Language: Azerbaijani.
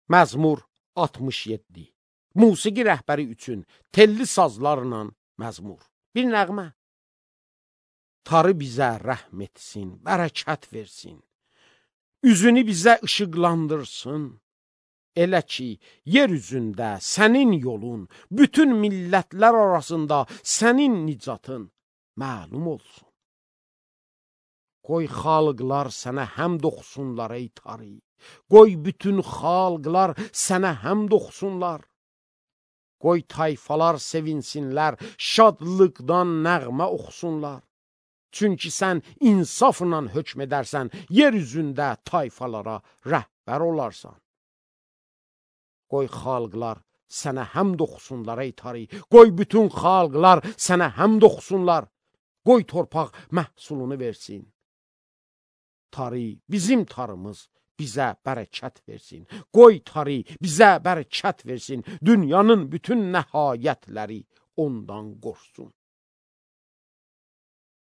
Məzmur 67. Musiqi rəhbəri üçün telli sazlarla məzmur. Bir nəğmə. Tarı bizə rəhm etsin, bərəkət versin. Üzünü bizə işıqlandırsın. Elə ki, yer üzündə sənin yolun, bütün millətlər arasında sənin nicatın məlum olsun. Qoy xalqlar sənə həmd oxusunlar ey tarı. Qoy bütün xalqlar sənə həmd oxusunlar. Qoy tayfalar sevinsinlər, şadlıqdan nəğmə oxusunlar. Çünki sən insafla hökm edərsən, yer üzündə tayfalara rəhbər olarsan. Qoy xalqlar sənə həmd oxusunlar ey tarı. Qoy bütün xalqlar sənə həmd oxusunlar. Qoy torpaq məhsulunu versin. Tarı, bizim tarımız bizə bərəkət versin. Qoy tarı bizə bərəkət versin. Dünyanın bütün nəhayətləri ondan qorxsun.